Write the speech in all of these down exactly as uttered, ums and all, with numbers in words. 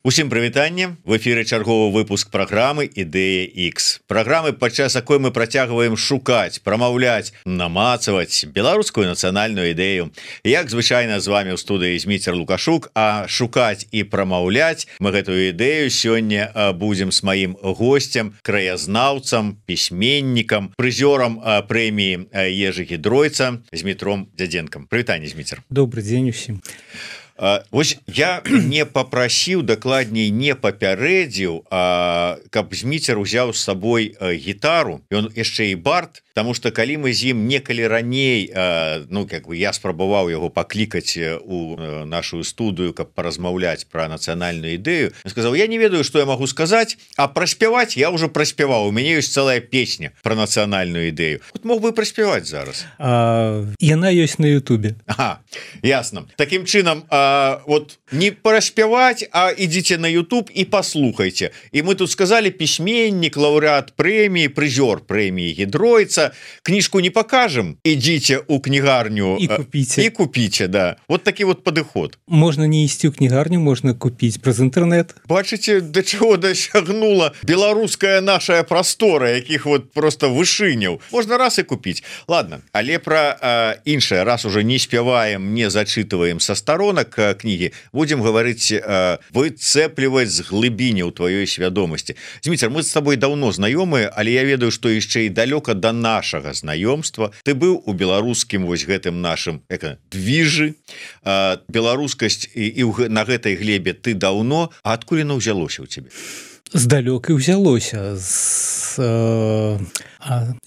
Усім прывітанне, в эфіры чарговы выпуск праграмы Ідэя X. Праграмы, падчас якой мы працягваем шукаць, прамаўляць, намацаваць беларускую нацыянальную ідэю. Як звычайна з вами ў студыі Зміцер Лукашук, а шукаць і прамаўляць мы гэтую ідэю сёння будзем з маім госцем, краязнаўцам, пісьменнікам, прызёрам прэміі Ежы Гідройца Змітром Дзядзенкам. Прывітанне, Зміцер. Добрый дзень усім. Вось я не попрасіў, дакладней не папярэдзіў, каб Зміцер узяў з сабой гітару, ён яшчэ і бард, потому что калі мы з ім некалі раней, ну как бы я спрабаваў яго паклікаць у нашу студыю, каб паразмаўляць пра нацыянальную ідэю, сказаў: я не ведаю, што я магу сказаць, а праспяваць я ўжо праспяваў, у мяне ёсць цэлая песня пра нацыянальную ідэю. Вот мог бы праспяваць зараз. А, яна ёсць на Ютубе. Ага, ясно. Такім чынам, А, вот не праспяваць, а ідзіце на YouTube і паслухайце. І мы тут сказали: пісьменнік, лаўрэат прэміі, прызёр прэміі Гідройца. Кніжку не покажем, ідзіце у кнігарню і купіце. І купіце, да. Вот такі вот падыход. Можна не ісці ў кнігарню, можна купіць праз інтэрнэт. Бачыце, да чаго дасягнула беларуская наша прастора, якіх вот просто вышыняў. Можна раз і купіць. Ладно, але пра іншае, раз уже не спяваем, не зачытываем са старонак кнігі, будем гаварыць, выцэпліваць з глыбіні ў тваёй свядомасці. Зміцер, мы з тобой даўно знаёмыя, але я ведаю, што яшчэ і далёка да нашага знаёмства. Ты быў у беларускім вось гэтым нашым як, двіжы, беларускасць і, і на гэтай глебе ты даўно, а адкуль яно ўзялося ў цябе? Здалёк і ўзялося з, э,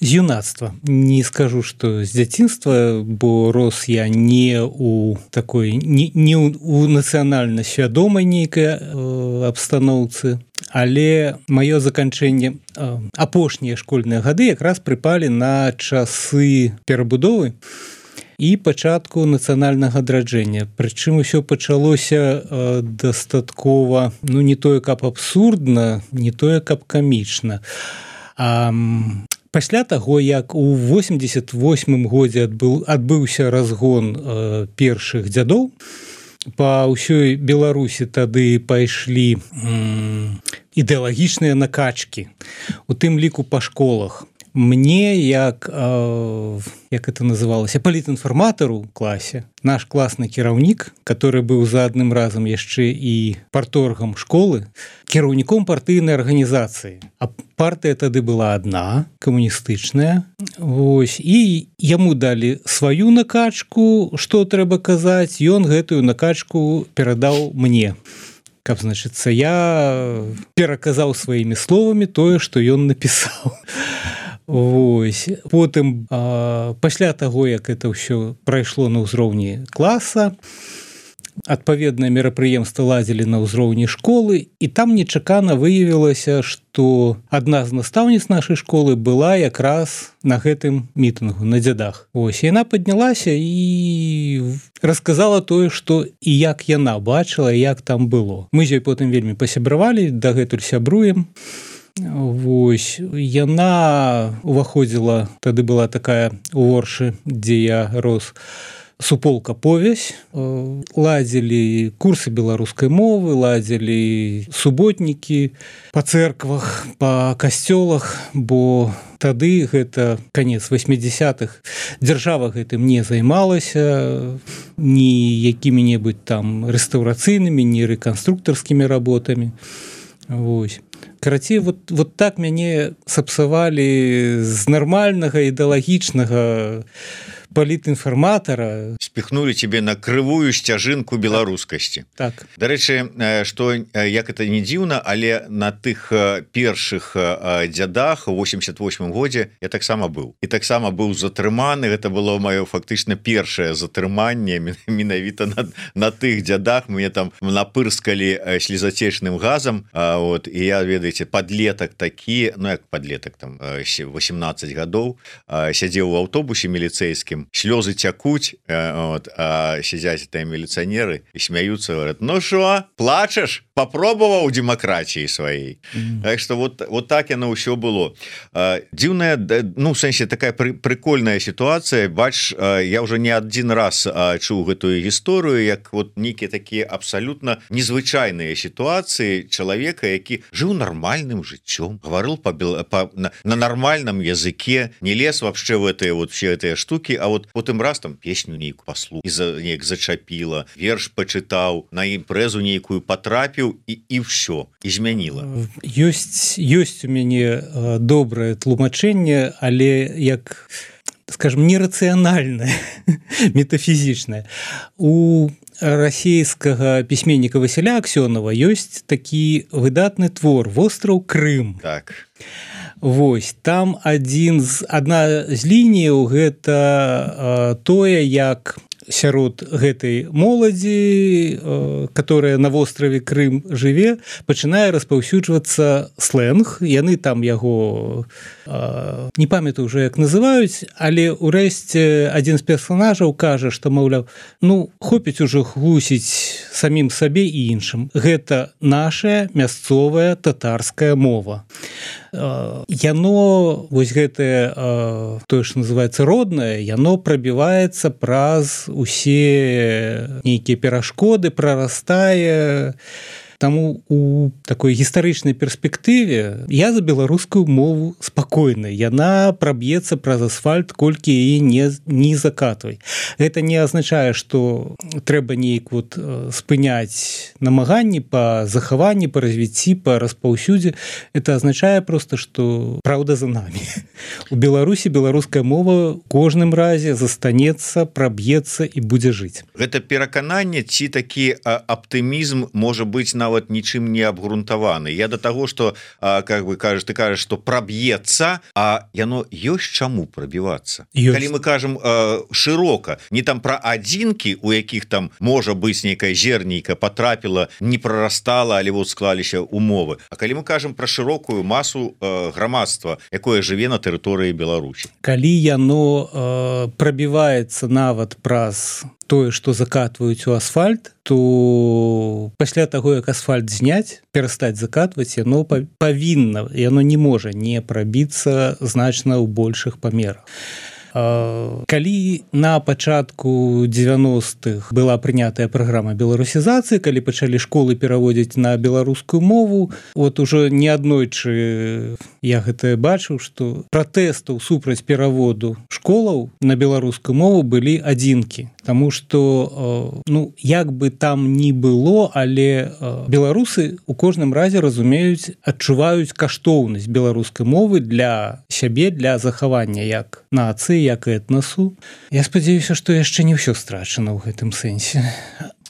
з юнацтва. Не скажу, што з дзяцінства, бо рос я не у такой не, не у, у нацыянальна свядомай нейкай э, абстаноўцы, але маё заканчэнне э, апошнія школьныя гады якраз прыпалі на часы перабудовы і пачатку нацыянальнага адраджэння. Прычым усё пачалося э, дастаткова, ну не тое каб абсурдна, не тое каб камічна. А, пасля таго, як у восемьдесят восьмым годзе адбыў, адбыўся разгон э, першых дзядоў, па ўсёй Беларусі тады пайшлі м, ідэалагічныя накачкі, у тым ліку па школах. Мне, як, э, як это называлася, палітінфарматару ў класе, наш класны кіраўнік, который быў за адным разам яшчэ і парторгам школы, кіраўніком партыйнай арганізацыі. А партыя тады была адна, камуністычная. Вось, і яму далі сваю накачку, што трэба казаць, ён гэтую накачку перадаў мне. Каб, значыцца, я пераказаў сваімі словамі тое, што ён напісаў. Вось. Потым, а, пасля таго, як это ўсё прайшло на ўзроўні класа, адпаведнае мерапрыемства ладзілі на ўзроўні школы, і там нечакана выявілася, што адна з настаўніц нашай школы была якраз на гэтым мітынгу, на дзядах. Ось, яна паднялася і расказала тое, што і як яна бачыла, як там было. Мы з ёй потым вельмі пасябравалі, дагэтуль сябруем. Вось, яна уваходзіла, тады была такая у Оршы, дзе я рос, суполка «Повязь», ладзілі курсы беларускай мовы, ладзілі суботнікі па цэрквах, па касцёлах, бо тады гэта канец восьмідзесятых, дзяржава гэтым не займалася ні якімі-небудзь там рэстаўрацыйнымі, ні рэканструктарскімі работамі. Вось. Карацей, вот, вот так мяне сапсавалі з нармальнага ідэалагічнага палітінфарматара. Спіхнули тебе на крывую сцяжынку беларускасці. Так. Дарэчы, што як это не дзіўна, але на тых першых дзядах у восемьдесят восьмым годзе я таксама быў. І таксама быў затрыманы, гэта было маё фактычна першае затрыманне менавіта на, на тых дзядах. Мне там напырскалі слезацечным газам, вот, і я, ведаеце, падлетак такі, ну як падлетак, там восемнадцать гадоў, сядзеў у аўтобусе міліцэйскім, слёзы цякуць, вот, а сядзяць тыя міліцыянеры і смяюцца, говорят: ну шо, плачаш? Попробоваў дэмакратіі сваёй. Mm. Так што вот, вот так яно ўсё было. Дзіўная, ну, в сэнсе, такая пры, прикольная сітуацыя. Бач, я ўжо не адзін раз чуў гэтую гісторыю, як вот нейкія такія абсалютна незвычайныя сітуацыі чалавека, які жыў нармальным жыццём, гаварыў па, па, на, на нармальным языке, не лез вообще в гэтыя вот все гэтыя штукі, а вот потым раз там песню нейку паслухаў, і за, неяк зачапіла, верш пачытаў, на імпрэзу нейкую патрапіў, і, і ўсё, і змяніла. Ёсць, ёсць у мяне добрае тлумачэнне, але як, скажем, нерацыянальнае, метафізічнае. У расійскага пісьменніка Васіля Аксёнова ёсць такі выдатны твор «Востраў Крым». Так. Вось, там адзін з, адна з лініяў гэта а, тое, як сярод гэтай моладзі, которая на востраве Крым жыве, пачынае распаўсюджвацца слэнг. Яны там яго не памятаю ўжо як называюць, але ўрэшце адзін з персанажаў кажа, што, маўляў, ну, хопіць ужо хлусіць самім сабе і іншым. Гэта наша мясцовая татарская мова. Яно, вось гэтае, тое, што называецца роднае, яно прабіваецца праз усе нейкія перашкоды, прарастае. Таму у такой гістарычнай перспектыве я за беларускую мову спакойна. Яна праб'ецца праз асфальт, колькі яе не, не закатвай. Гэта не азначае, што трэба неяк вот спыняць намаганні па захаванні, па развіцці, па распаўсюдзе. Это азначае проста, што праўда за намі. У Беларусі беларуская мова ў кожным разе застанецца, праб'ецца і будзе жыць. Гэта перакананне ці такі аптымізм можа быць на нават нічым не абгрунтаваны. Я до того, что, а, как бы кажешь, ты кажешь, что пробьется, а яно ёсць чаму пробиваться. Калі мы кажем э, широко, не там про адзінкі, у якіх там можа быць нейкая зернейка потрапіла, не прорастала, але вот склаліся умовы. А калі мы кажем про широкую масу э, грамадства, якое жыве на тэрыторыі Беларусі. Калі яно э, пробивается нават праз тое, што закатваюць у асфальт, то пасля таго, як асфальт зняць, перастаць закатваць, яно павінна, яно не можа не прабіцца значна ў большых памерах. Калі на пачатку дзевяностых была прынятая праграма беларусізацыі, калі пачалі школы пераводзіць на беларускую мову, вот ужо неаднойчы я гэта бачыў, што пратэстаў супраць пераводу школаў на беларускую мову былі адзінкі. Таму што, ну, як бы там ні было, але беларусы у кожным разе разумеюць, адчуваюць каштоўнасць беларускай мовы для сябе, для захавання як нацыі, як і этнасу. Я спадзяюся, што яшчэ не ўсё страчана ў гэтым сэнсе.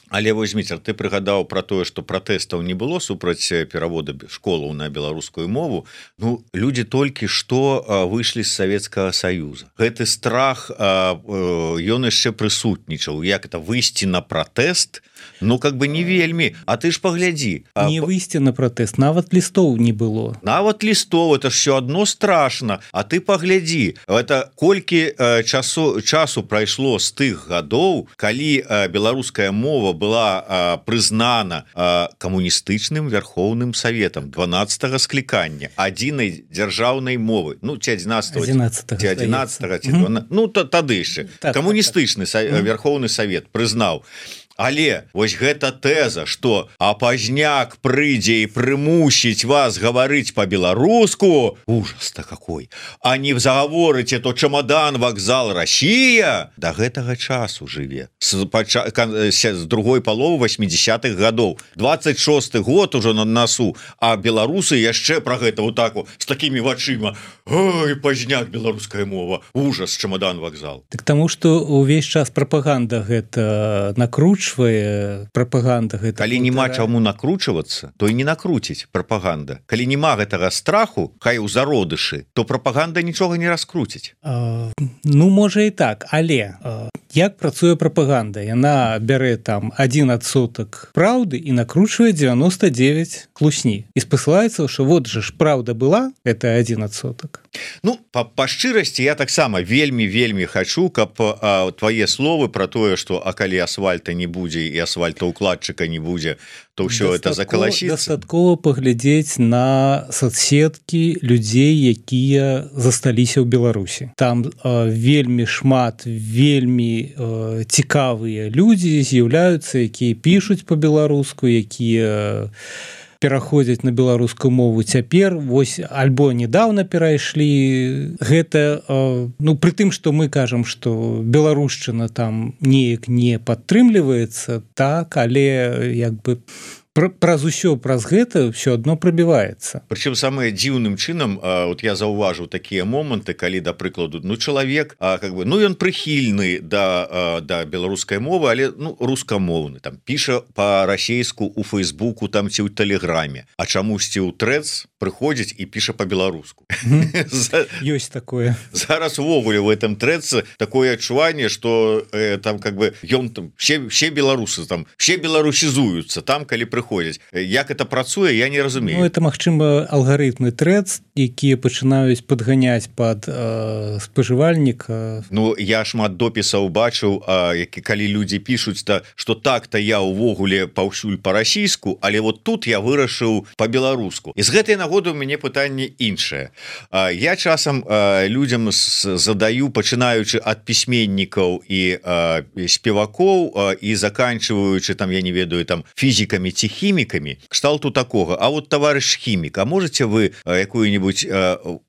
Але вось, Зміцер, ты прыгадаў пра тое, што пратэстаў не было супраць перавода школаў на беларускую мову. Ну, людзі толькі што выйшлі з Савецкага Саюза. Гэты страх, ён яшчэ прысутнічаў. Як это выйсці на пратэст? Ну, как бы не вельмі. А ты ж паглядзі. Не выйсці на пратэст, нават лістоў не было. Нават лістоў, это ж все адно страшна. А ты паглядзі, это колькі часу, часу прайшло з тых гадоў, калі беларуская мова была а, прызнана а, камуністычным вярхоўным саветам дванаццатага склікання адзінай дзяржаўнай мовы, ну ці адзінаццатага ці адзінаццатага ці дванаццатага, ну тады яшчэ так, камуністычны так, так. вярхоўны савет прызнаў. Але вось гэта тэза, што а пазняк прыйдзе і прымусіць вас гаварыць па-беларуску, ужас-то какой, а не загаворыце, то чамадан, вакзал, Расія, да гэтага часу жыве. З, пача... з другой паловы восьмідзесятых гадоў. дваццаць шосты год ужо на насу, а беларусы яшчэ пра гэта вот так вот, з такімі вачыма. Ой, пазняк, беларуская мова, ужас, чамадан, вакзал. Так таму, што ўвесь час прапаганда гэта накручвае, прапаганда гэта. Калі няма чаму накручвацца, то і не накруціць прапаганда. Калі няма гэтага страху, хай у зародышы, то прапаганда нічога не раскруціць. А, ну можа і так, але а, як працуе прапаганда, яна бярэ там один адсотак праўды і накручвае девяносто девять хлусні і спасылаецца, что вот же ж праўда была, это один адсотак. Ну па, па шчырасці я таксама вельмі вельмі хачу, каб а, твае словы про тое, что а калі асфальта не будзе і асфальтаўкладчыка не будзе, то ўсё это закаласіцца. Дастаткова паглядзець на соцсеткі людзей, якія засталіся ў Беларусі. Там а, вельмі шмат вельмі а, цікавыя людзі з'яўляюцца, якія пішуць по-беларуску, якія пераходзяць на беларускую мову цяпер, вось альбо недавно перайшлі. Гэта ну пры тым, што мы кажам, што беларушчына там неяк не падтрымліваецца, так, але як бы праз усё праз гэта все одно прабіваецца. Прычым самае дзіўным чынам, вот я заўважыў такія моманты, калі да прыкладу ну чалавек как бы ну ён прыхільны да да беларускай мовы, але ну рускамоўны, там піша па-расейску у Фейсбуку там ці ў тэлеграме, а чамусьці ў Трэц прыходзіць і піша па-беларуску. Ёсць такое. Зараз увогуле в этом Трэцы такое адчуванне, што там как бы ён там все все беларусы там все беларусізуюцца там, калі прыходзіць. Як это працуе, я не разумею. Ну, это магчыма алгарытмы Трэц, якія пачынаюць падганяць пад э, спажывальніка. Ну я шмат допісаў бачыў, які калі людзі пішуць то что так-то я увогуле паўсюль па-расійску, але вот тут я вырашыў па-беларуску. І з гэтай нагоды у мяне пытанне іншае. Я часам людзям задаю, пачынаючы ад пісьменнікаў і спевакоў і заканчиваючы там я не ведаю там фізікамі ці хімікамі, кшталту такога. А вот товарищ хімік, а можете вы якую-нибудь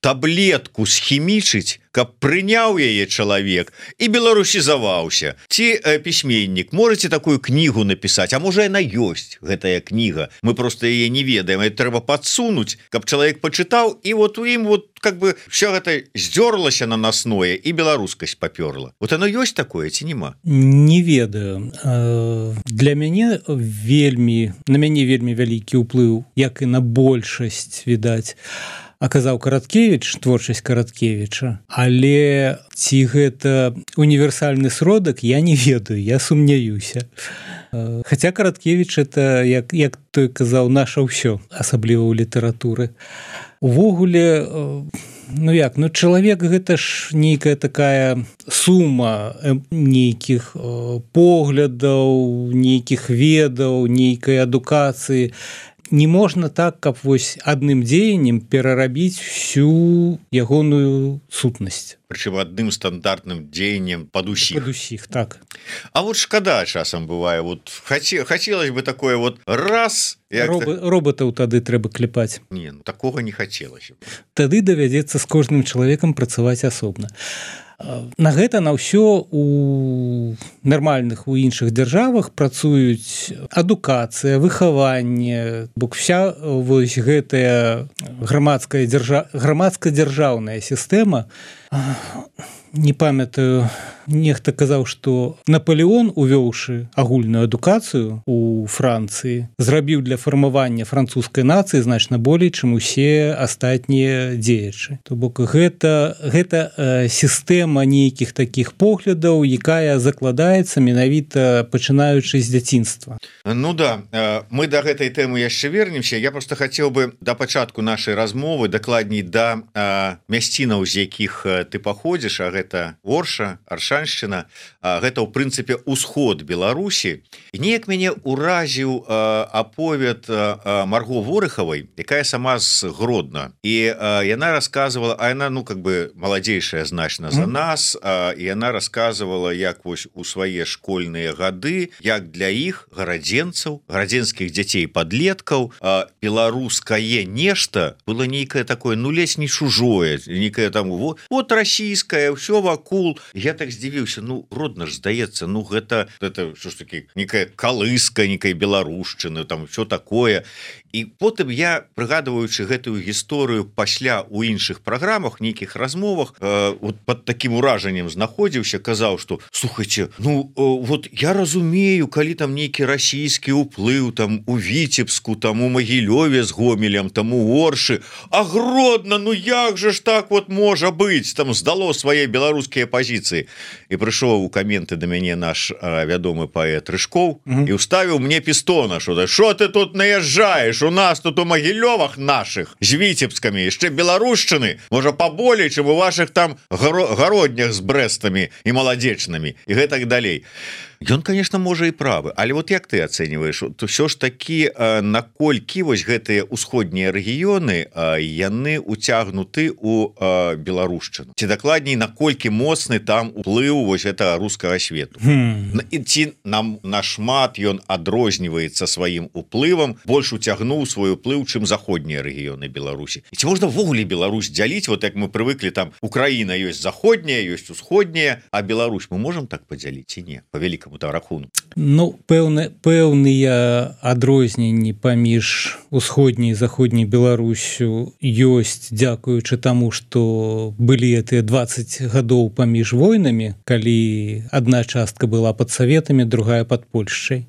таблетку схімічыць, каб прыняў яе чалавек і беларусізаваўся? Ці пісьменнік, можете такую кнігу напісаць? А можа яна ёсць, гэтая кніга, мы просто яе не ведаем, это трэба падсунуць, каб чалавек пачытаў, і вот у ім вот как бы все гэта здзёрлася на насное і беларускасць папёрла. Вот оно ёсць такое ці нема? Не ведаю. Для мяне вельмі на мяне вельмі вялікі ўплыў, як і на большасць, відаць, аказаў Караткевіч, творчасць Караткевіча, але ці гэта універсальны сродак, я не ведаю, я сумняюся. Хаця Караткевіч это, як, як той казаў, наша ўсё, асабліва ў літаратуры. Увогуле, ну як, ну чалавек гэта ж нейкая такая сума нейкіх поглядаў, нейкіх ведаў, нейкай адукацыі. Не можна так, каб вось адным дзеяннем перарабіць всю ягоную сутнасць. Прычым адным стандартным дзеяннем пад усіх. Пад усіх, так. А вот шкада часам бывае, вот хаце, хацелось бы такое вот раз... Роб, так... Роботаў тады трэба клепаць. Не, ну такога не хацелася. Тады давядзецца з кожным чалавекам працаваць асобна. На гэта на ўсё у нармальных у іншых дзяржавах працуюць адукацыя, выхаванне, бо вся вось гэтая грамадская дзяржа... грамадска-дзяржаўная сістэма. Не памятаю, нехта казаў, што Наполеон, увёўшы агульную адукацыю у Францыі, зрабіў для фармавання французскай нацыі значна болей, чым усе астатнія дзеячы. То бок гэта, гэта э, сістэма нейкіх такіх поглядаў, якая закладаецца менавіта пачынаючы з дзяцінства. Ну да, мы да гэтай тэмы яшчэ вернемся. Я просто хацеў бы да пачатку нашай размовы, дакладней да э, мясцінаў, з якіх ты паходзіш, а гэта Орша, Аршаншчына, гэта ў прынцыпе ўсход Беларусі. І неяк мяне ўразіў аповед Марго Ворыхавай, якая сама з Гродна. І яна рассказывала, а яна ну как бы маладзейшая значна за нас, і яна рассказывала, як вось у свае школьныя гады, як для іх гарадзенцаў, гарадзенскіх дзяцей падлеткаў, беларускае нешта было нейкае такое, ну ледзь не чужое, нейкае там вот, вот расійскае, ўсё вакул. Я так здзівіўся, ну родна ж здаецца, ну гэта это що ж таки некая калыска, некая беларушчына, там все такое. і потым я прыгадваючы гэтую гісторыю пасля у іншых праграмах нейкіх размовах э, вот под таким уражаннем знаходзіўся, казаў, что слухайте, ну э, вот я разумею, калі там нейкі расійскі уплыў там у Віцебску, там у Магілёве з Гомелем, там у Оршы, а Гродно, ну як же ж так вот можа быць, там здало свае беларускія пазіцыі. І прыйшоў у каменты да мяне наш э, вядомы паэт Рыжкоў mm -hmm. і ўставіў мне пістона, что что ты тут наезжаешь, у нас тут у Магілёвах наших з Віцебскамі яшчэ беларушчыны можа поболей, чым у ваших там гароднях з брэстамі і маладзечнымі і гэтак далей. Ён, конечно, можа і правы, але вот як ты ацэньваеш, то все ж таки наколькі вось гэтыя ўсходнія рэгіёны яны уцягнуты у беларушчыну, ці дакладней наколькі моцны там уплыў вось гэта рускага свету hmm. і ці нам нашмат ён адрозніваецца сваім уплывам, больш уцягнуў свой уплыў, чым заходнія рэгіёны Беларусі. І ці можна ввогуле Беларусь дзяліць, вот як мы прывыклі, там Украіна ёсць заходняя, ёсць усходняя, а Беларусь мы можем так падзяліць ці не, па вялікаму рахунку? Ну, пэўны, пэўныя адрозненні паміж усходняй і заходняй Беларусю ёсць, дзякуючы таму, што былі гэтыя дваццаць гадоў паміж войнамі, калі адна частка была пад Саветамі, другая пад Польшчай.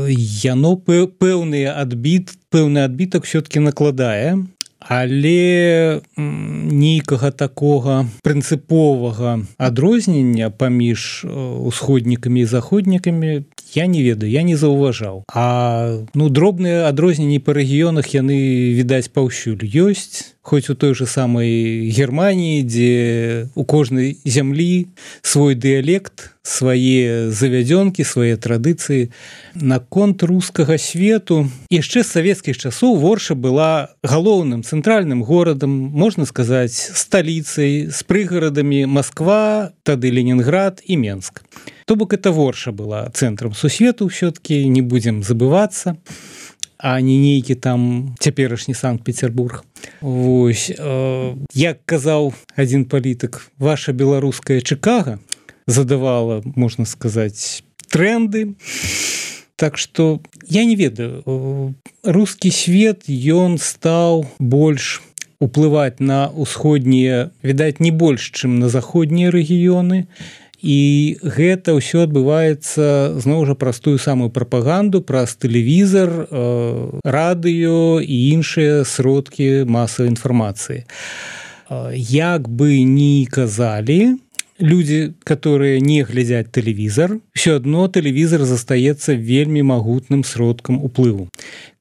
Яно пэўны адбіт, пэўны адбітак все-таки накладае, але нейкага такога прынцыповага адрознення паміж усходнікамі і заходнікамі я не ведаю, я не заўважаў. А ну дробныя адрозненні па рэгіёнах яны, відаць, паўсюль ёсць, хоць у той же самай Германіі, дзе у кожнай зямлі свой дыялект, свае завядзёнкі, свае традыцыі. Наконт рускага свету яшчэ з савецкіх часоў Ворша была галоўным цэнтральным горадам, можна сказаць, сталіцай, з прыгарадамі Москва, тады Ленінград і Менск. То бок это Ворша была цэнтрам сусвету все-таки, не будзем забывацца, а не нейкі там цяперашні Санкт-Петербург. Вось, э, як казаў адзін палітык, ваша беларуская Чикаго задавала, можна сказаць, тренды. Так што я не ведаю, рускі свет ён стаў больш уплываць на ўсходнія, відаць, не больш, чым на заходнія рэгіёны. І гэта ўсё адбываецца зноў жа праз тую самую прапаганду, праз тэлевізар, радыё і іншыя сродкі масавай інфармацыі. Як бы ні казалі людзі, которые не глядзяць тэлевізар, все адно тэлевізар застаецца вельмі магутным сродкам уплыву.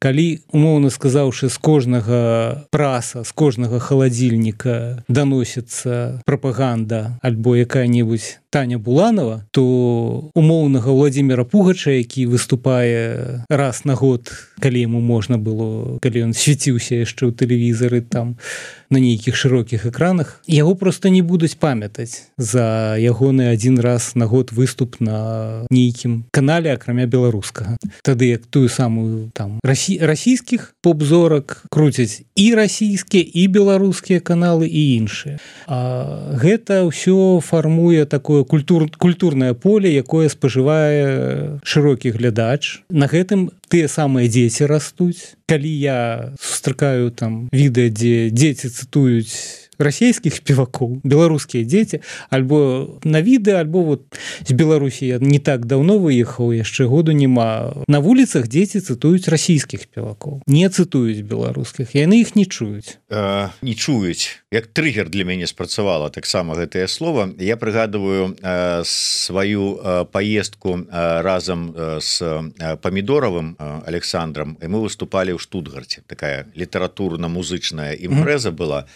Калі, умоўна сказаўшы, з кожнага праса, з кожнага халадзільніка даносіцца прапаганда альбо якая-небудзь Таня Буланова, то умоўнага Владзіміра Пугача, які выступае раз на год, калі яму можна было, калі ён свяціўся яшчэ ў тэлевізары там на нейкіх шырокіх экранах, яго проста не будуць памятаць за ягоны адзін раз на год выступ на нейкім канале, акрамя беларускага. Тады як тую самую там расі... расійскіх поп-зорак круцяць і расійскія, і беларускія каналы, і іншыя. А гэта ўсё фармуе такое культур... культурнае поле, якое спажывае шырокі глядач. На гэтым тыя самыя дзеці растуць. Калі я сустракаю там відэа, дзе дзеці цытуюць расійскіх спевакоў, беларускія дзеці, альбо на відэа, альбо вот з Беларусі я не так даўно выехаў, яшчэ году няма. На вуліцах дзеці цытуюць расійскіх спевакоў, не цытуюць беларускіх, яны іх не чуюць. Э, не чуюць. Як трыгер для мяне спрацавала таксама гэтае слово. Я прыгадываю э, сваю э, поездку э, разам э, с э, Памідоравым э, Александром, і мы выступалі ў Штутгарце. Такая літаратурна-музычная імпрэза mm-hmm. была.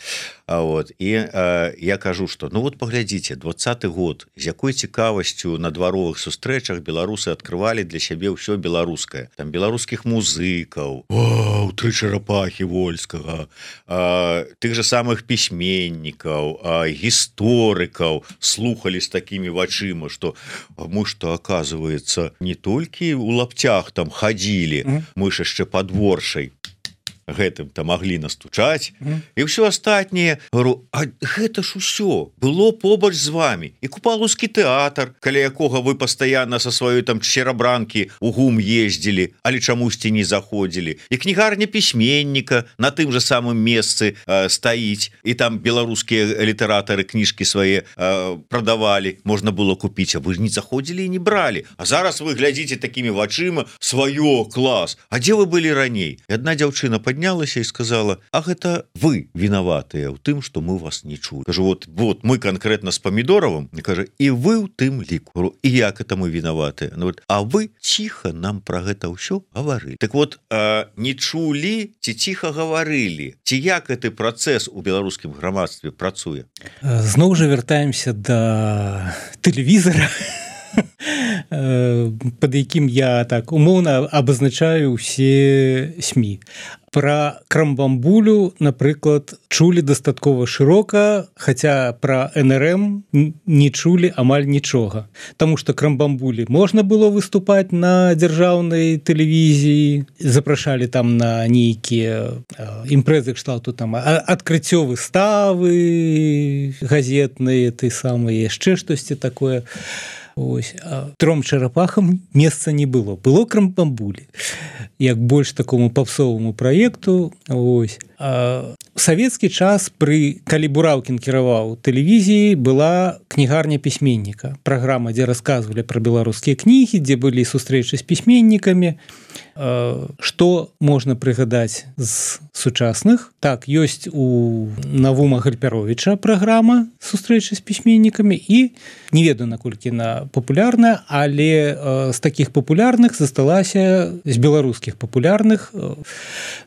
Вот. І э, я кажу, што ну вот паглядзіце, двадцаты год, з якой цікавасцю на дваровых сустрэчах беларусы адкрывалі для сябе ўсё беларускае. Там беларускіх музыкаў, о, тры чарапахі Вольскага, э, тых же самых пісьменнікаў, э, гісторыкаў слухалі з такімі вачыма, што мы што, оказывается, не толькі ў лаптях там хадзілі, mm-hmm. мы ж яшчэ пад Воршай гэтым-то маглі настучаць mm. і ўсё астатняе. Говорю, а гэта ж усё было побач з вами, і купалаўскі тэатр, каля якога вы пастаянна са сваёй там чарабранкі у гум ездзілі, але чамусьці не заходзілі, і кнігарня пісьменніка на тым же самым месцы э, стаіць, і там беларускія літаратары кніжкі свае э, прадавалі, можна было купіць, а вы не заходзілі і не бралі. А зараз вы глядзіце такімі вачыма, сваё, клас, а дзе вы былі раней? І адна дзяўчына паднялася і сказала, а гэта вы вінаватыя ў тым, што мы вас не чулі. Кажу, вот, вот мы конкретно з Памідоровым, кажа, і вы ў тым ліку. І як это мы вінаватыя? А вы ціха нам пра гэта ўсё гаварылі. Так вот, э, не чулі ці ціха гаварылі? Ці як гэты працэс у беларускім грамадстве працуе? Зноў жа вяртаемся да тэлевізара, под якім я так умоўна абазначаю ўсе СМІ. Пра крамбамбулю, напрыклад, чулі дастаткова шырока, хаця пра эн эр эм не чулі амаль нічога. Таму што крамбамбулі можна было выступаць на дзяржаўнай тэлевізіі, запрашалі там на нейкія імпрэзы кшталту там адкрыццё выставы газетныя, ты самыя яшчэ штосьці такое. Ось, а тром чарапахам месца не было. Было крамбамбулі, як больш такому папсоваму праекту. Ось. А у савецкі час, пры, калі Бураўкін кіраваў тэлевізіяй, была кнігарня пісьменніка. Праграма, дзе расказвалі пра беларускія кнігі, дзе былі сустрэчы з пісьменнікамі. Што можна прыгадаць з сучасных? Так, ёсць у Навума Гальпяровіча праграма сустрэчы з пісьменнікамі, і не ведаю, наколькі яна папулярная, але з такіх папулярных засталася, з беларускіх папулярных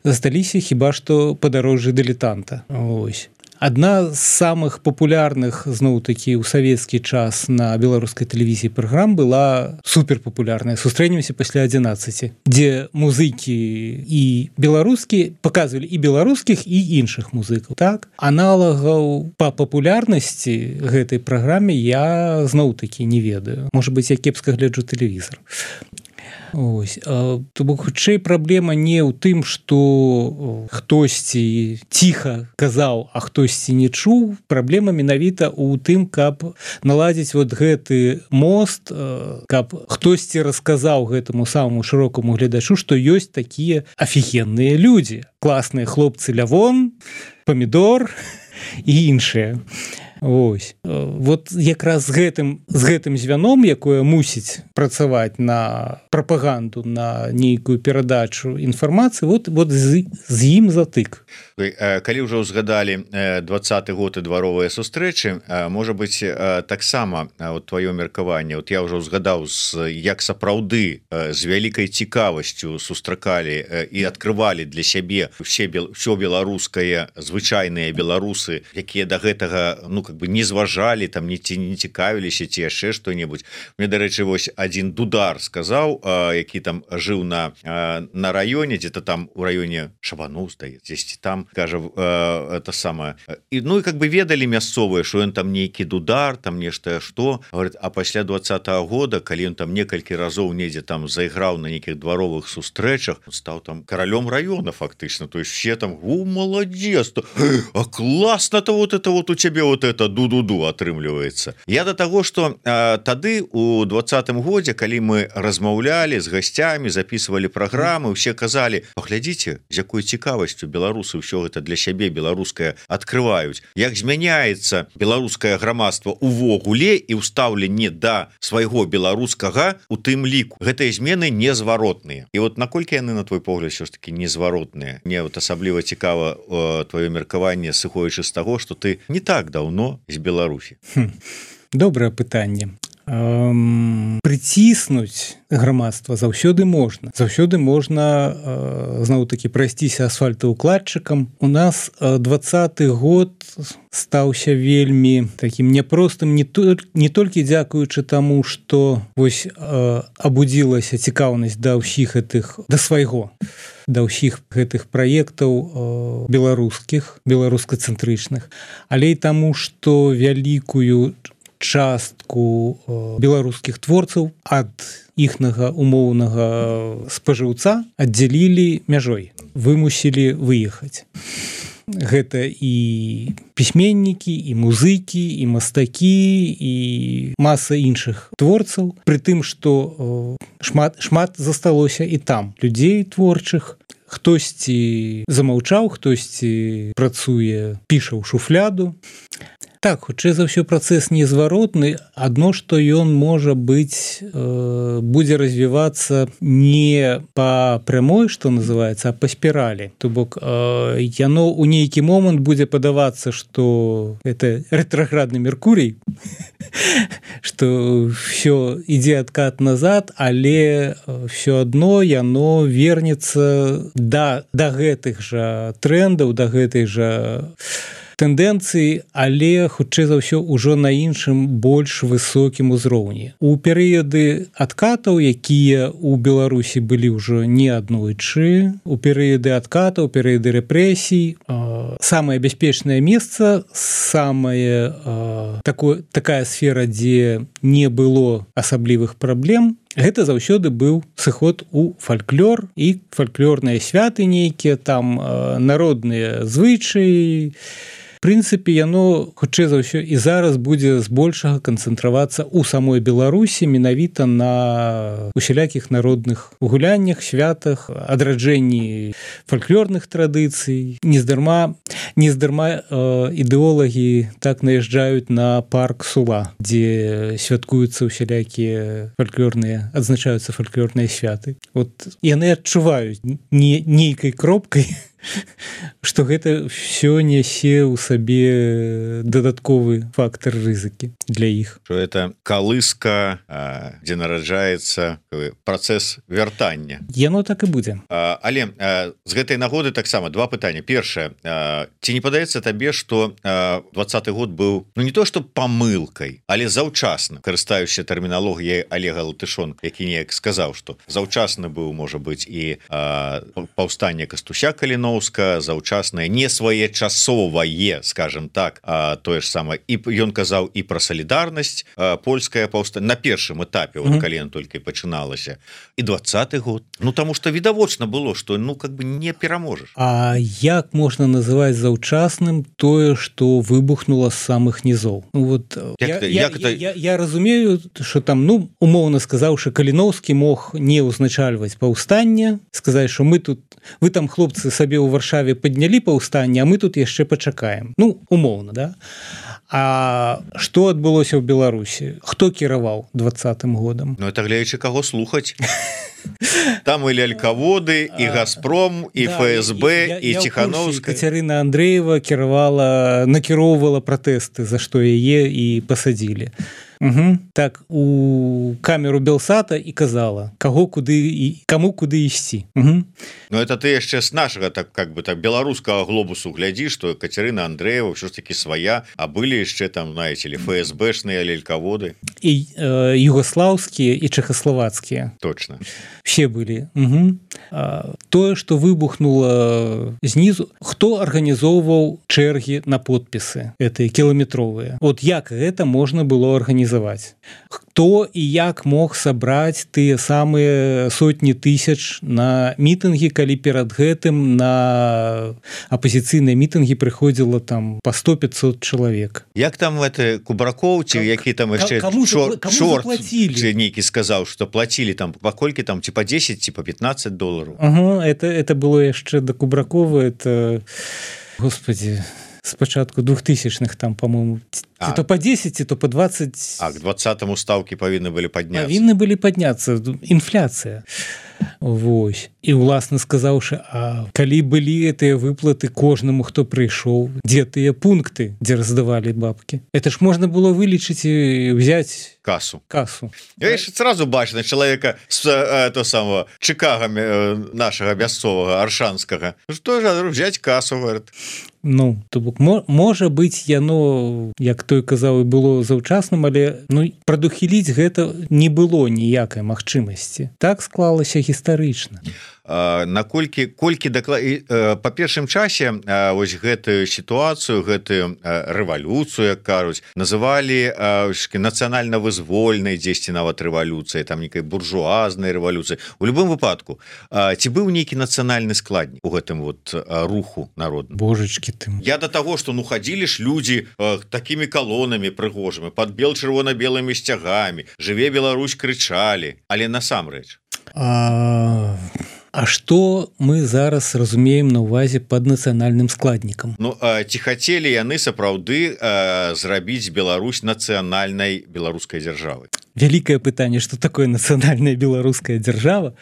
засталіся хіба што падарожжы дылетанта. Ось. Адна з самых папулярных, зноў-такі, у савецкі час на беларускай тэлевізіі праграм была суперпапулярная «Сустрэнемся пасля адзінаццаці», дзе музыкі і беларускія паказвалі і беларускіх, і іншых музыкаў. Так? Аналагаў па папулярнасці гэтай праграме я зноў-такі не ведаю. Можа быць, я кепска гляджу тэлевізор. Ось. То бок, хутчэй праблема не ў тым, што хтосьці ціха казаў, а хтосьці не чуў. Праблема менавіта ў тым, каб наладзіць вот гэты мост, каб хтосьці расказаў гэтаму самому шырокаму гледачу, што ёсць такія афігенныя людзі. Класныя хлопцы Лявон, Памідор і іншыя. Ось. Вот якраз з гэтым, з гэтым звяном, якое мусіць працаваць на прапаганду, на нейкую перадачу інфармацыі, вот, вот з, з ім затык. Калі ўжо ўзгадалі двадцаты год і дваровыя сустрэчы, можа быць, таксама тваё меркаванне, вот я ўжо ўзгадаў, як сапраўды з вялікай цікавасцю сустракалі і адкрывалі для сябе ўсе, ўсё беларускае, звычайныя беларусы, якія да гэтага, ну, как бы не зважалі, там не, не цікавіліся ці яшчэ што-небудзь. Мне, дарэчы, вось адзін дудар сказаў, які там жыў на, на раёне, дзе-то там у раёне Шабаноў, здаецца, дзесьці там, кажа, это самае. І, ну, і как бы ведалі мясцовыя, што ён там нейкі дудар, там нешта што. Говорит, а пасля двадцатага года, калі ён там некалькі разоў недзе там зайграў на нейкіх дваровых сустрэчах, стаў там каралём раёна фактычна. То есть все там, о, молодец, а класна-то вот это вот у цябе вот это ду-ду-ду атрымліваецца. Я да таго, што а, тады у двадцатым годзе, калі мы размаўлялі з гасцямі, записывалі праграмы, усе казалі, паглядзіце, з якой цікавасцю беларусы ўсё гэта для сябе беларускае адкрываюць. Як змяняецца беларускае грамадства увогуле і ўстаўленне да свайго беларускага у тым ліку. Гэтыя змены незваротныя. І вот наколькі яны, на твой погляд, ўсё ж таки незваротныя? Мне вот асабліва цікава э, твоё меркаванне, сыходзячы з таго, што ты не так даўно з Беларусі. Хм. Добрае пытанне. Эм, прыціснуць грамадства заўсёды можна. Заўсёды можна э, зноў-такі прайсціся асфальтаўкладчыкам. У нас э, двадцаты год стаўся вельмі такім няпростым не, то, не толькі дзякуючы таму, што вось э, абудзілася цікаўнасць да ўсіх гэтых, да свайго, да ўсіх гэтых праектаў э, беларускіх, беларускацэнтрычных, але і таму, што вялікую частку беларускіх творцаў ад іхнага умоўнага спажыўца аддзялілі мяжой, вымусілі выехаць. Гэта і пісьменнікі, і музыкі, і мастакі, і маса іншых творцаў, пры тым, што шмат, шмат засталося і там людзей творчых. Хтосьці замаўчаў, хтосьці працуе, піша ў шуфляду. Так, хутчэй за ўсё працэс незваротны, адно, што ён можа быць, э, будзе развівацца не па прамой, што называецца, а па спіралі. То бок, э, яно ў нейкі момант будзе падавацца, што это рэтраградны Меркурий, што ўсё ідзе адкат назад, але ўсё адно яно вернецца да, да гэтых жа трэндаў, да гэтай жа тэндэнцыі, але хутчэй за ўсё ўжо на іншым больш высокім узроўні. У перыяды адкатаў, якія ў Беларусі былі ўжо не аднойчы, у перыяды адкатаў, перыяды рэпрэсій, э, самае бяспечнае месца, самае э, такое, такая сфера, дзе не было асаблівых праблем, гэта заўсёды быў сыход у фальклор і фальклорныя святы нейкія, там э, народныя звычаі. В прынцыпе, яно, хутчэй за ўсё, і зараз будзе збольшага канцэнтравацца ў самой Беларусі менавіта на усялякіх народных гуляннях, святах, адраджэнні фальклорных традыцый. Нездарма, нездарма э, ідэолагі так наязджаюць на парк Сула, дзе святкуюцца усялякія фальклорныя, адзначаюцца фальклорныя святы. Вот яны адчуваюць не, нейкай кропкай, што гэта ўсё нясе ў сабе дадатковы фактор рызыкі для іх. Што это калыска, дзе нараджаецца працэс вяртання. Яно так і будзе. Але з гэтай нагоды таксама два пытання. Першае, ці не падаецца табе, што двадцаты год быў, ну не то што памылкай, але заўчасна, карыстаючыся тэрміналогіяй Олега Латышонка, які неяк сказаў, што заўчасна быў, можа быць, і паўстанне Кастуся Каліно, заўчаснае, не своечасовае, скажем так, а, тое ж самае, і ён казаў і пра салідарнасць, а, польская паўстанне на першым этапе, mm -hmm. вот, калі ён толькі пачыналася, і двадцаты год, ну таму што відавочна было, што ну как бы не пераможаш. А як можна называць заўчасным тое, што выбухнула з самых нізоў? Ну, вот, як я, ты, я, як я, я, я разумею, што там, ну умоўна сказаўшы, Каліноўскі мог не ўзначальваць паўстанне, сказаць, што мы тут, вы там, хлопцы, сабе ў Варшаве паднялі паўстанне, а мы тут яшчэ пачакаем. Ну, умоўна, да? А што адбылося ў Беларусі? Хто кіраваў двадцатым годам? Ну, это глядзячы каго слухаць. Там і лялькаводы, і Газпром, і да, ФСБ, я, і я Ціхановская. Кацярына Андрэева кіравала, накіроўвала пратэсты, за што яе і пасадзілі. Угу. Так, у камеру Белсата і казала, каго куды і каму куды ісці. Угу. Ну это ты яшчэ з нашага так как бы так беларускага глобусу глядзі, што Кацярына Андрэева ўсё ж таки свая, а былі яшчэ там, знаете ли, ФСБшныя лялькаводы. І э, югослаўскія і чэхаславацкія. Точно. Все былі. Угу. А, тое, што выбухнула знізу, хто арганізоўваў чэргі на подпісы, гэтыя кіламетровыя. Вот як гэта можна было арганізаваць? Хто і як мог сабраць тыя самыя сотні тысяч на мітынгі, калі перад гэтым на апазіцыйныя мітынгі прыходзіла там па сто пятьсот чалавек. Як там это Кубракоў, ці які там яшчэ чорт нейкі сказаў, што плацілі там паколькі там ці па дзесяць, ці па пятнадцать долараў. Ага, это, это было яшчэ да Кубракова, это, господи, с пачатку двухтысячных там, по-моему, а. то по десять, то по двадцать. А к двадцатому ставки павінны былі падняцца. Павінны былі падняцца, інфляцыя. Вось. І уласна сказаўшы, а калі былі гэтыя выплаты кожнаму, хто прыйшоў, дзе тыя пункты, дзе раздавалі бабкі? Это ж можна было вылічыць і взять касу. Касу. Я яшчэ сразу бачна чалавека з э, то самого чыкагамі э, нашага мясцовага аршанскага. Што ж взять касу, говорит. Ну, то бок можа быць яно, як той казаў, і было заўчасным, але ну прадухіліць гэта не было ніякай магчымасці. Так склалася гістарычна. Наколькі колькі даклад па першым часе вось гэтую сітуацыю, гэтую рэвалюцыю, як кажуць, называлі нацыянальна-вызвольнай, дзесьці нават рэвалюцыяй, там некай буржуазнай рэвалюцыі. У любым выпадку, ці быў нейкі нацыянальны складнік у гэтым вот руху народным? Божачкі ты. Я до таго, што ну хадзілі ж людзі такімі калонамі прыгожымі, пад бел чырвона-белымі сцягамі, жыве Беларусь, крычалі, але насамрэч. А... А што мы зараз разумеем на ўвазе пад нацыянальным складнікам? Ну, ці хацелі яны сапраўды зрабіць Беларусь нацыянальнай беларускай дзяржавай? Вялікае пытанне, што такое нацыянальная беларуская дзяржава.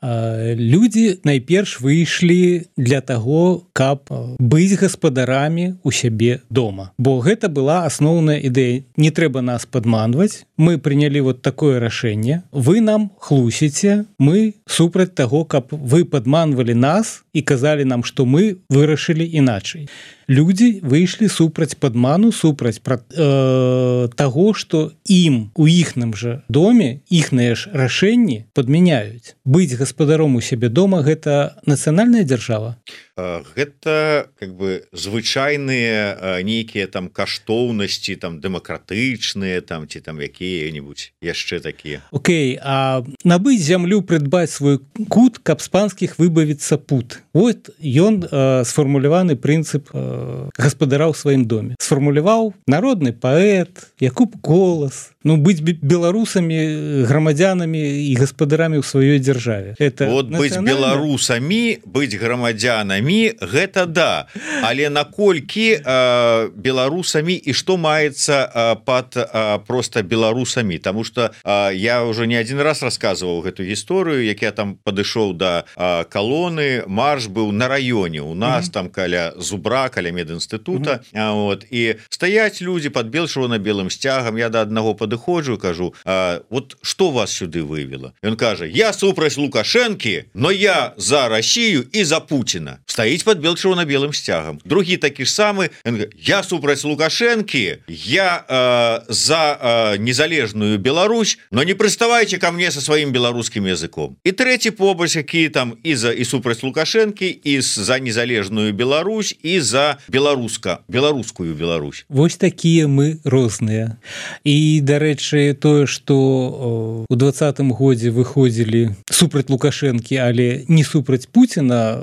Людзі найперш выйшлі для таго, каб быць гаспадарамі у сябе дома. Бо гэта была асноўная ідэя. Не трэба нас падманваць. Мы прынялі вот такое рашэнне. Вы нам хлусіце, мы супраць таго, каб вы падманвалі нас і казалі нам, што мы вырашылі іначай. Людзі выйшлі супраць падману, супраць пра, э, таго, што ім у іхным жа доме іхныя ж рашэнні падмяняюць. Быць гаспадаром у сябе дома – гэта нацыянальная дзяржава? Гэта как бы звычайныя нейкія там каштоўнасці, там дэмакратычныя, там ці там якія-небудзь яшчэ такія. Окей, а набыць зямлю, прыдбаць свой кут, каб з панскіх выбавіцца пут. Вот ён э, сфармуляваны прынцып э, гаспадара ў сваім доме. Сфармуляваў народны паэт Якуб Колас. Ну, быць беларусамі, грамадзянамі і гаспадарамі ў сваёй дзяржаве. Это вот быць беларусамі, быць грамадзянамі, гэта да. Але наколькі э, беларусамі і што маецца э, пад э, проста беларусамі? Таму што э, я ўжо не адзін раз расказваў гэту гісторыю, як я там падышоў да э, калоны, марш быў на раёне у нас, mm-hmm. там каля Зубра, каля медінстытута, mm-hmm. вот, і стаяць людзі пад бел-чырвона-белым сцягам, я да аднаго падыходжу, кажу, а, вот што вас сюды вывела? Ён кажа, я супраць Лукашэнкі, но я за Россию і за Путіна. Стаіць пад бел-чырвона-белым сцягам. Другі такі ж самы, я супраць Лукашэнкі, я э, за э, незалежную Беларусь, но не прыставайце ко мне со сваім беларускім языком. І трэці побач, які там і за і супраць Лукашэнкі, і за незалежную Беларусь, і за беларуска, беларускую Беларусь. Вось такія мы розныя. І, дарэчы, тое, што у двадцатым годзе выходзілі супраць Лукашэнкі, але не супраць Пуціна,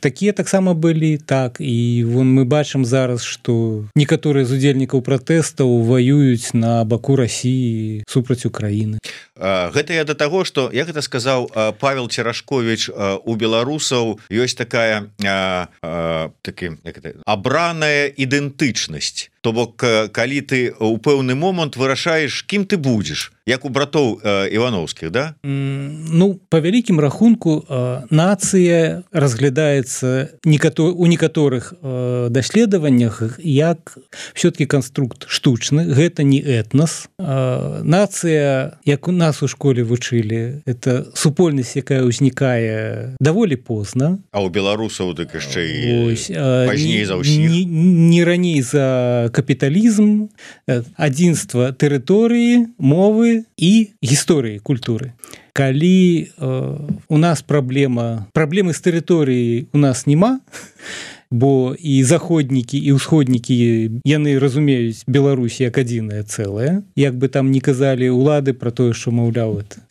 такія таксама былі, так, і вон мы бачым зараз, што некаторыя з удзельнікаў пратэстаў ваююць на баку Расіі супраць Украіны. Гэта я да таго, што, як гэта сказаў Павел Церашковіч, у беларусаў ёсць такая а, а, такі, як это, абраная ідэнтычнасць. То бок, калі ты ў пэўны момант вырашаеш, кім ты будзеш, як у братоў э, Івановскіх, да? Mm, ну, па вялікім рахунку, э, нацыя разглядаецца некатор, у некаторых э, даследаваннях як все-таки канструкт штучны, гэта не этнос. Э, нацыя, як у нас у школе вучылі, это супольнасць, якая ўзнікае даволі позна. А у беларусаў так яшчэ і Ось, э, пазней за ўсіх. Не, не раней за капіталізм, адзінства тэрыторыі, мовы і гісторыі культуры. Калі э, у нас праблема, праблемы з тэрыторыяй у нас няма, бо і заходнікі, і ўсходнікі, яны разумеюць Беларусь як адзінае цэлае, як бы там не казалі ўлады пра тое, што, маўляў, это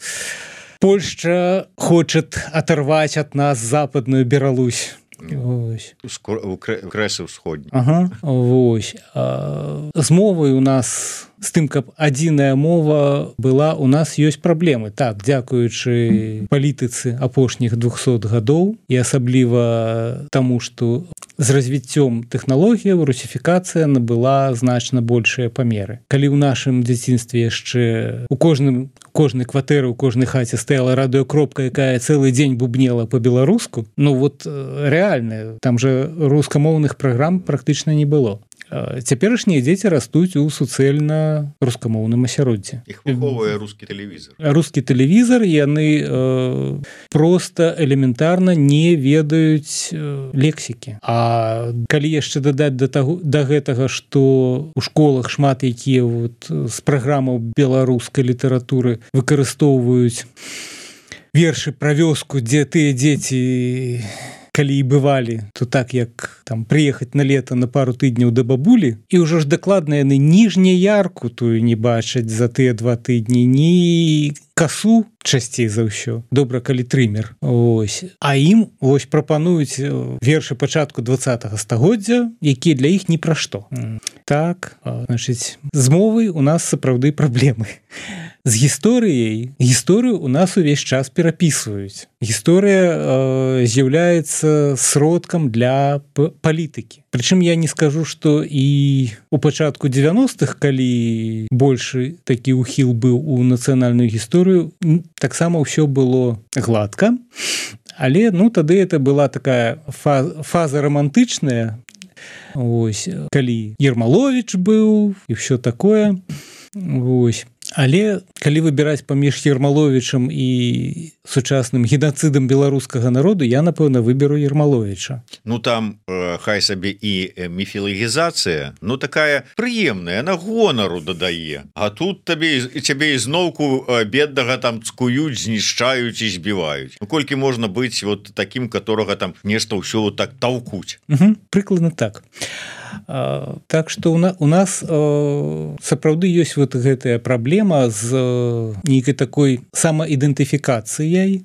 Польшча хочет оторвать от нас западную Беларусь. Вось. Крэсы ўсходні. Ага, вось. А, з мовай у нас, з тым, каб адзіная мова была, у нас ёсць праблемы. Так, дзякуючы палітыцы апошніх двухсот гадоў і асабліва таму, што з развіццём тэхналогіяў русіфікацыя набыла значна большыя памеры. Калі ў нашым дзяцінстве яшчэ у кожным кожнай кватэры, у кожнай хаце стаяла радыёкропка, якая цэлы дзень бубнела па-беларуску, ну вот рэальна, там жа рускамоўных праграм практычна не было. Цяперашнія дзеці растуць у суцэльна рускамоўным асяроддзі. Іх выхоўвае рускі тэлевізар. Рускі тэлевізар, яны э, проста элементарна не ведаюць э, лексікі. А калі яшчэ дадаць да, таго, да гэтага, што ў школах шмат якія вот, з праграмаў беларускай літаратуры выкарыстоўваюць вершы пра вёску, дзе тыя дзеці калі і бывалі, то так як там прыехаць на лета на пару тыдняў да бабулі, і ўжо ж дакладна яны ніжне ярку тую не бачаць за тыя два тыдні, ні касу часцей за ўсё. Добра, калі трымер. Ось. А ім ось прапануюць вершы пачатку двадцатага стагоддзя, якія для іх ні пра што. Так, значыць, з мовай у нас сапраўды праблемы. З гісторыяй, гісторыю у нас увесь час перапісваюць. Гісторыя э, з'яўляецца сродкам для палітыкі. Прычым я не скажу, што і у пачатку дзевяностых, калі большы такі ўхіл быў у нацыянальную гісторыю, таксама ўсё было гладка, але ну тады это была такая фаза, фаза романтычная, ось, калі Ермаловіч быў і ўсё такое. Ось. Але калі выбіраць паміж Ермаловічам і сучасным генацыдам беларускага народу, я, напэўна, выберу Ермаловіча. Ну, там, э, хай сабе і міфілагізацыя, ну, такая прыемная, на гонару дадае. А тут табе, цябе ізноўку беднага там цкуюць, знішчаюць і збіваюць. Ну, колькі можна быць вот такім, которого там нешта ўсё вот так таўкуць. Угу, прыкладна так. А, так што у, на, у нас а, сапраўды ёсць вот гэтая праблема з а, нейкай такой самаідэнтыфікацыяй.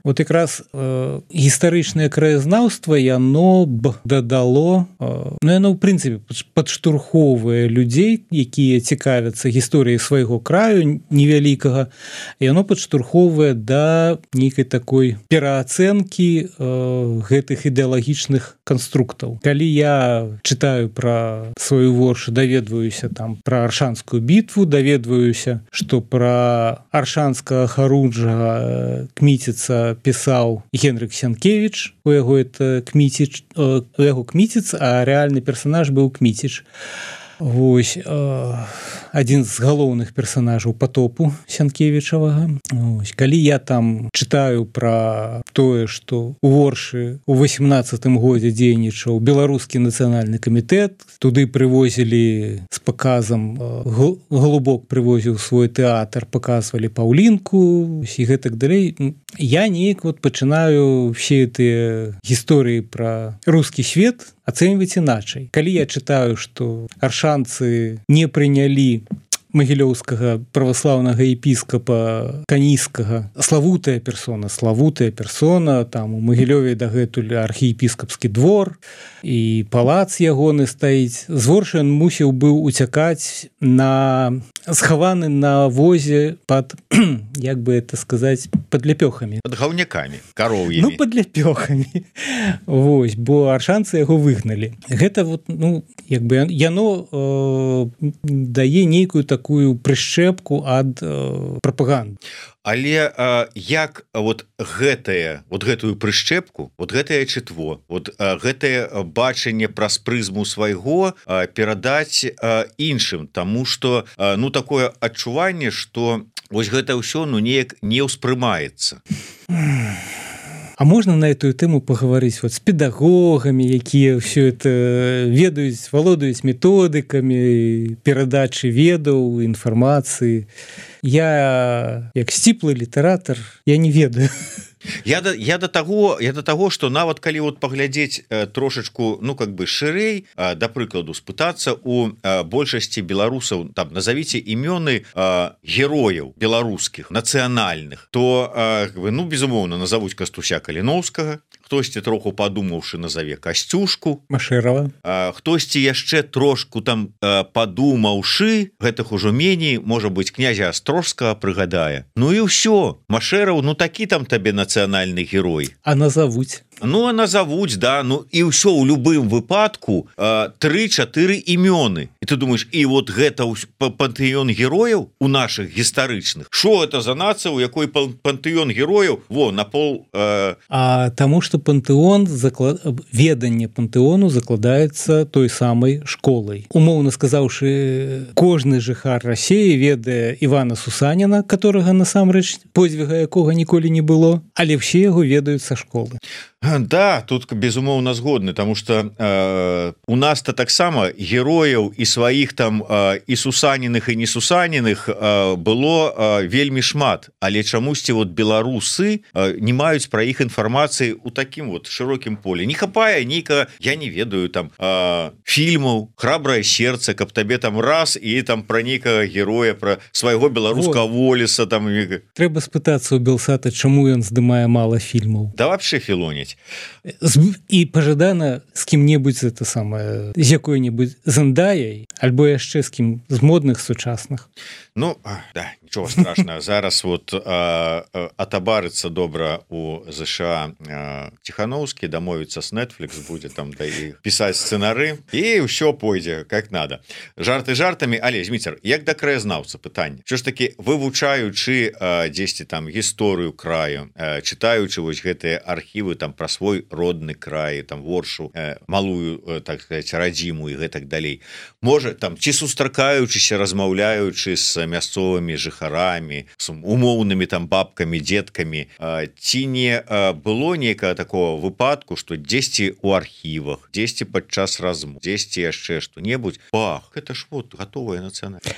Вот якраз э, гістарычнае краязнаўства яно б дадало, э, ну яно ў прынцыпе падштурхоўвае людзей, якія цікавяцца гісторыяй свайго краю невялікага, яно падштурхоўвае да нейкай такой пераацэнкі э, гэтых ідэалагічных канструктаў. Калі я чытаю пра сваю воршу, даведваюся там пра Аршанскую бітву, даведваюся, што пра аршанскага харуджага Кміціца пісаў Генрык Сянкевіч, у яго это Кміціч, у яго Кміціц, а рэальны персанаж быў Кміціч. Вось, адзін з галоўных персанажаў патопу Сянкевічавага. Вось, калі я там чытаю пра тое, што у Воршы у восемнадцатым годзе дзейнічаў беларускі нацыянальны камітэт, туды прывозілі з паказам, Голубок прывозіў свой тэатр, паказвалі Паўлінку і гэтак далей. Я неяк вот пачынаю все гэтыя гісторыі пра рускі свет ацэньваць іначай. Калі я чытаю, што аршанцы не прынялі магілёўскага праваслаўнага епіскапа Каніскага, славутая персона, славутая персона, там у Магілёве дагэтуль архіепіскапскі двор і палац ягоны стаіць. З Воршы ён мусіў быў уцякаць на схаваны на возе пад, як бы это сказаць, пад ляпёхамі. Пад гаўнякамі, кароўямі. Ну, пад ляпёхамі. Вось, бо аршанцы яго выгналі. Гэта вот, ну, як бы яно э, дае нейкую такую прышчэпку ад э, прапаганды. Але а, як вот гэтае, вот гэтую прышчэпку, вот гэтае чытво, вот а, гэтае бачанне праз прызму свайго а, перадаць а, іншым, таму што а, ну такое адчуванне, што вось гэта ўсё ну неяк не ўспрымаецца. А можна на эту тэму паговорыць вот з педагогамі, якія ўсё это ведаюць, валодаюць методыкамі перадачы ведаў, інфармацыі. Я, як сціплы літаратар, я не ведаю. Я да, я да таго я да таго што нават калі вот паглядзець э, трошачку ну как бы шырэй, э, да прыкладу спытацца у э, большасці беларусаў, там назавіце імёны э, герояў беларускіх нацыянальных, то э, ну безумоўна назавуць Кастуся Каліноўскага, хтосьці троху падумаўшы назаве Касцюшку Машэрава, э, хтосьці яшчэ трошку там э, падумаўшы, гэтых ужо меней можа быць князя Астрожскага прыгадае. Ну і ўсё, Машэраў, ну такі там табе нацыянальны герой. А назавуць. Ну, а назавуць, да, ну і ўсё ў любым выпадку тры-чатыры імёны. І ты думаеш, і вот гэта пантэён герояў у нашых гістарычных. Што гэта за нацыя, у якой пантэён герояў? Во, на пол... Э... А таму, што пантэон, заклад... веданне пантэону закладаецца той самай школай. Умоўна сказаўшы, кожны жыхар Расіі ведае Івана Сусаніна, которага насамрэч подзвіга якога ніколі не было, але ўсе яго ведаюць са школы. Да, тут безумоўна згодны, тому что э, у нас-то таксама герояў і сваіх там э, і сусаненых і несусаненых э, было э, вельмі шмат, але чамусьці вот беларусы э, не маюць пра іх інфармацыі у такім вот шырокім поле. Не хапае нейка, я не ведаю там э, фільмаў «Храбрае сердце», каб табе там раз і там пра нейкага героя, пра свайго беларускага волеса там. Трэба спытацца у Белсата, чаму ён здымае мала фільмаў. Да вообще філоніць. І пажадана з кім-небудзь это самае, з якой-небудзь Зендаяй альбо яшчэ з кім з модных сучасных. Ну да, нічого страшного. Зараз вот атабарыцца добра у ЗША Тихановскі, дамовіцца с Netflix, будзе там да і пісаць сцэнары і ўсё пойдзе как надо. Жарты жартамі, але Зміцер, як да краязнаўца пытанне. Що ж таки, вывучаючы дзесьці там гісторыю краю, чытаючы вось гэтыя архівы там пра свой родны край, там воршу, малую, так сказать, радзіму і гэтак далей. Можа там ці сустракаючыся, размаўляючы з мясцовымі жыхарамі, з умоўнымі там бабкамі, дзеткамі, ці не было нейкага такого выпадку, што дзесьці ў архівах, дзесьці падчас размоў, дзесьці яшчэ што-небудзь, бах, это ж вот готовая нацыянальная.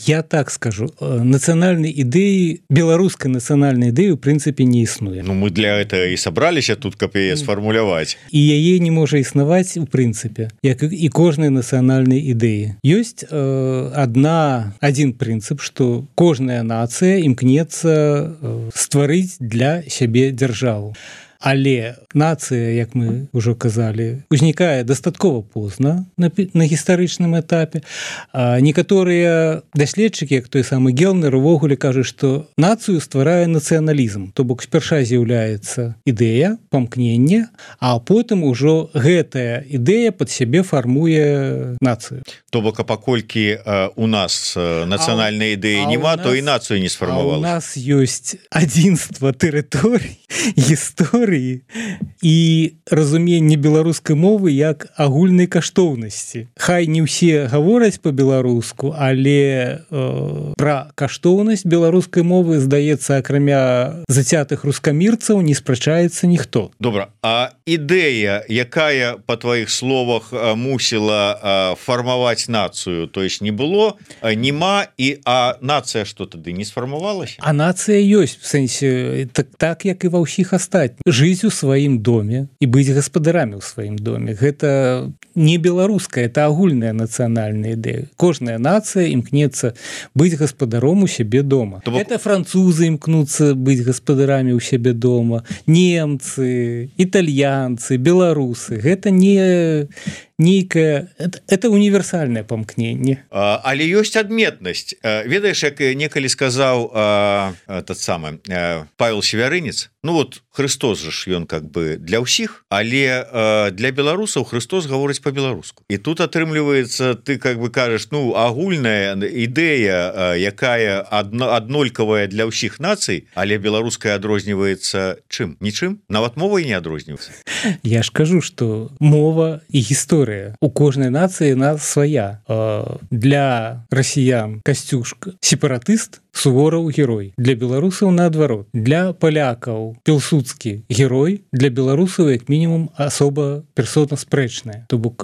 Я так скажу, нацыянальнай ідэі, беларускай нацыянальнай ідэі ў прынцыпе не існуе. Ну мы для этого і сабраліся тут, каб яе сфармуляваць. І яе не можа існаваць у прынцыпе, як і кожнай нацыянальнай ідэі. Ёсць адна один прынцып, што кожная нацыя імкнецца стварыць для сябе дзяржаву. Але нацыя, як мы ўжо казалі, узнікае дастаткова позна на, на гістарычным этапе. А некаторыя даследчыкі, як той самы Гелнер, увогуле кажуць, што нацыю стварае нацыяналізм. То бок спярша з'яўляецца ідэя, памкнення, а потым ужо гэтая ідэя пад сябе фармуе нацыю. То бок, а паколькі э, у нас э, нацыянальнай ідэі няма, то і нацыю не сфармавалася. А у нас ёсць адзінства тэрыторый, гісторыі і разуменне беларускай мовы як агульнай каштоўнасці. Хай не ўсе гавораць па-беларуску, але э, пра каштоўнасць беларускай мовы, здаецца, акрамя зацятых рускамірцаў, не спрачаецца ніхто. Добра, а ідэя, якая, па тваіх словах, мусіла фармаваць нацыю, то есть не было, нема, і а нацыя што тады не сфармавалася? А нацыя ёсць, в сэнсе, так, так як і ва ўсіх астатніх. Жыць у сваім доме і быць гаспадарамі ў сваім доме. Гэта не беларуская, это агульная нацыянальная ідэя. Кожная нацыя імкнецца быць гаспадаром у сябе дома. То... Это французы імкнуцца быць гаспадарамі ў сябе дома, немцы, італьянцы, беларусы. Гэта не нейкае, это, это універсальнае памкненне. А, але ёсць адметнасць. Ведаеш, як некалі сказаў а, тот самы а, Павел Севярынец, ну вот Христос же ж ён как бы для ўсіх, але а, для беларусаў Христос гаворыць по-беларуску. І тут атрымліваецца, ты как бы кажаш, ну агульная ідэя, а, якая адно, аднолькавая для ўсіх нацый, але беларуская адрозніваецца чым? Нічым? Нават мовай не адрозніваецца. Я ж кажу, што мова і гісторыя у кожнай нацыі на свая. Для расіян Касцюшка сепаратыст, Сувораў герой. Для беларусаў наадварот. Для палякаў Пілсудскі герой, для беларусаў як мінімум асоба персона спрэчная. То бок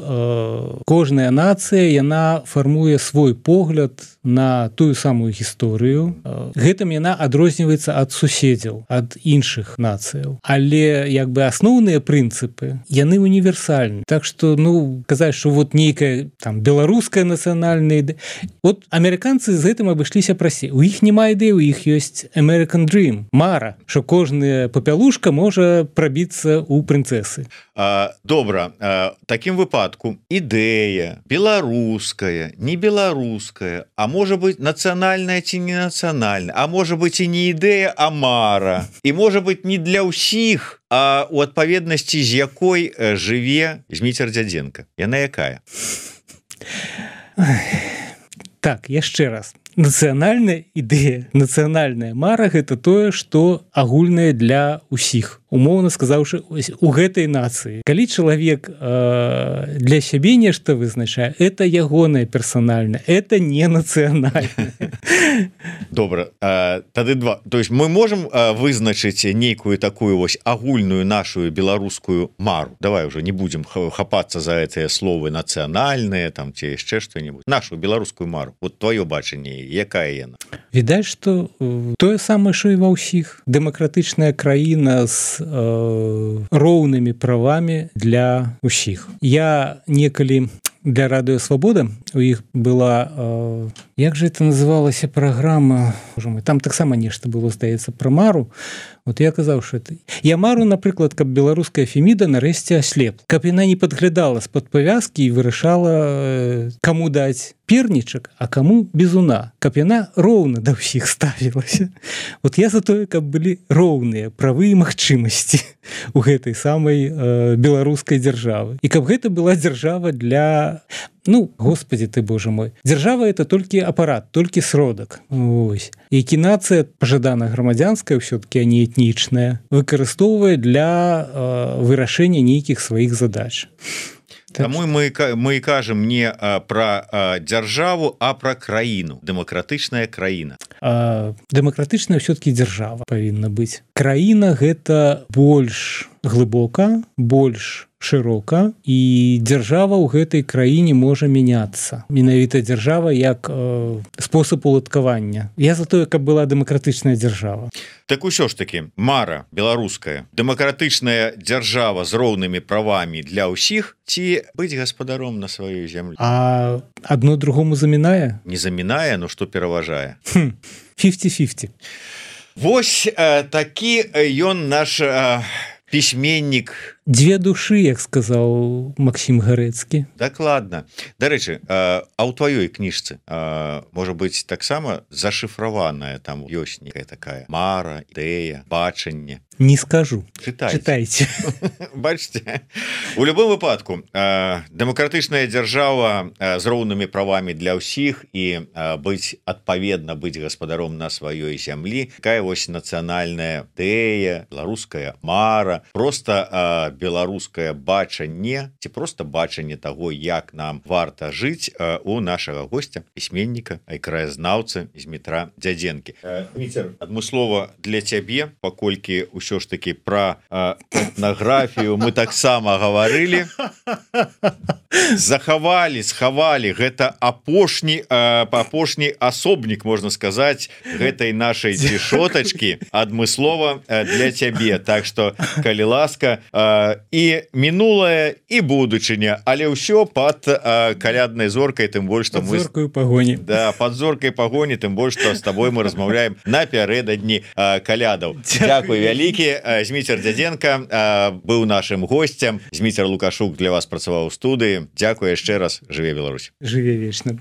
кожная нацыя, яна фармуе свой погляд на тую самую гісторыю. Гэтым яна адрозніваецца ад суседзяў, ад іншых нацыяў. Але як бы асноўныя прынцыпы, яны універсальны. Так што, ну, казаць, што вот нейкая там беларуская нацыянальная ідэя. Вот амерыканцы з гэтым абышліся прасцей. У іх няма ідэі, у іх ёсць American Dream, мара, што кожная папялушка можа прабіцца ў прынцэсы. А, добра, а, такім выпадку ідэя беларуская, не беларуская, а можа быць нацыянальная ці не нацыянальная, а можа быць і не ідэя, а мара. І можа быць не для ўсіх, а у адпаведнасці з якой жыве Зміцер Дзядзенка. Яна якая? Так, яшчэ раз. нацыянальная ідэя, нацыянальная мара гэта тое, што агульнае для ўсіх. Умоўна сказаўшы, у гэтай нацыі. Калі чалавек э, для сябе нешта вызначае, это ягонае персанальнае, это не нацыянальнае. Добра, а, тады два. То есть мы можем а, вызначыць нейкую такую вось агульную нашу беларускую мару. Давай уже не будем хапацца за гэтыя словы нацыянальныя там ці яшчэ што-нибудь. Нашу беларускую мару. Вот твоё бачанне, якая яна? Відаць, што э, тое самае, што і ва ўсіх. Дэмакратычная краіна з э, роўнымі правамі для ўсіх. Я некалі для радыё Свабода у іх была э, як же это называлася праграма, там таксама нешта было, здаецца, пра мару. Вот я казаў, что это я мару, напрыклад, каб беларуская Феміда нарэшце аслеп, каб яна не падглядала з-пад павязкі і вырашала э, каму даць пернічак, а каму бізуна, каб яна роўна да ўсіх ставілася. Вот я за тое, каб былі роўныя правы і магчымасці у гэтай самай э, беларускай дзяржавы, і каб гэта была дзяржава для, ну, господи ты, боже мой, дзяржава это толькі апарат, толькі сродак. Ось. Які нацыя пажадана грамадзянская ўсё-таки, а не этнічная, выкарыстоўвае для э, вырашэння нейкіх сваіх задач. Таму мы мы кажам не пра дзяржаву, а пра краіну, дэмакратычная краіна. А, дэмакратычная ўсё-таки дзяржава павінна быць. Краіна гэта больш глыбока, больш шырока, і дзяржава ў гэтай краіне можа мяняцца. Менавіта дзяржава як э, спосаб уладкавання. Я за тое, каб была дэмакратычная дзяржава. Так усё ж таки мара беларуская, дэмакратычная дзяржава з роўнымі правамі для ўсіх, ці быць гаспадаром на сваёй зямлі? А адно другому замінае? Не замінае, но што пераважае? пяцьдесят на пятьдесят. Вось э, такі ён наш э, пісьменнік. Дзве душы, як сказаў Максім Гарэцкі. Дакладна. Дарэчы, а ў тваёй кніжцы можа быць таксама зашыфраваная, там ёсць некая такая мара, ідэя, бачанне? Не скажу. Чытайце. Чытайце. Бачце, у любым выпадку дэмакратычная дзяржава з роўнымі правамі для ўсіх і быць адпаведна быць гаспадаром на сваёй зямлі. Такая вось нацыянальная ідэя, беларуская мара, просто беларускае бачанне ці просто бачанне таго, як нам варта жыць у нашага госця, пісьменніка, краязнаўцы Змітра Дзядзенкі. Віцер, адмыслова для цябе, паколькі ўсё ж таки пра этнаграфію мы таксама гаварылі, захавалі, схавалі, гэта апошні апошні асобнік, можна сказаць, гэтай нашай цішотачкі адмыслова для цябе. Так што, калі ласка, і мінулае, і будучыня, але ўсё пад каляднай зоркай, тым больш, што мы... Пад зоркаю пагоні. Да, пад зоркай пагоні, тым больш, што з табой мы размаўляем напярэдадні калядаў. Дзякуй вялікі. Зміцер Дзядзенка быў нашым госцем. Зміцер Лукашук для вас працаваў у студыі. Дзякуй яшчэ раз. Жыве Беларусь. Жыве вечна.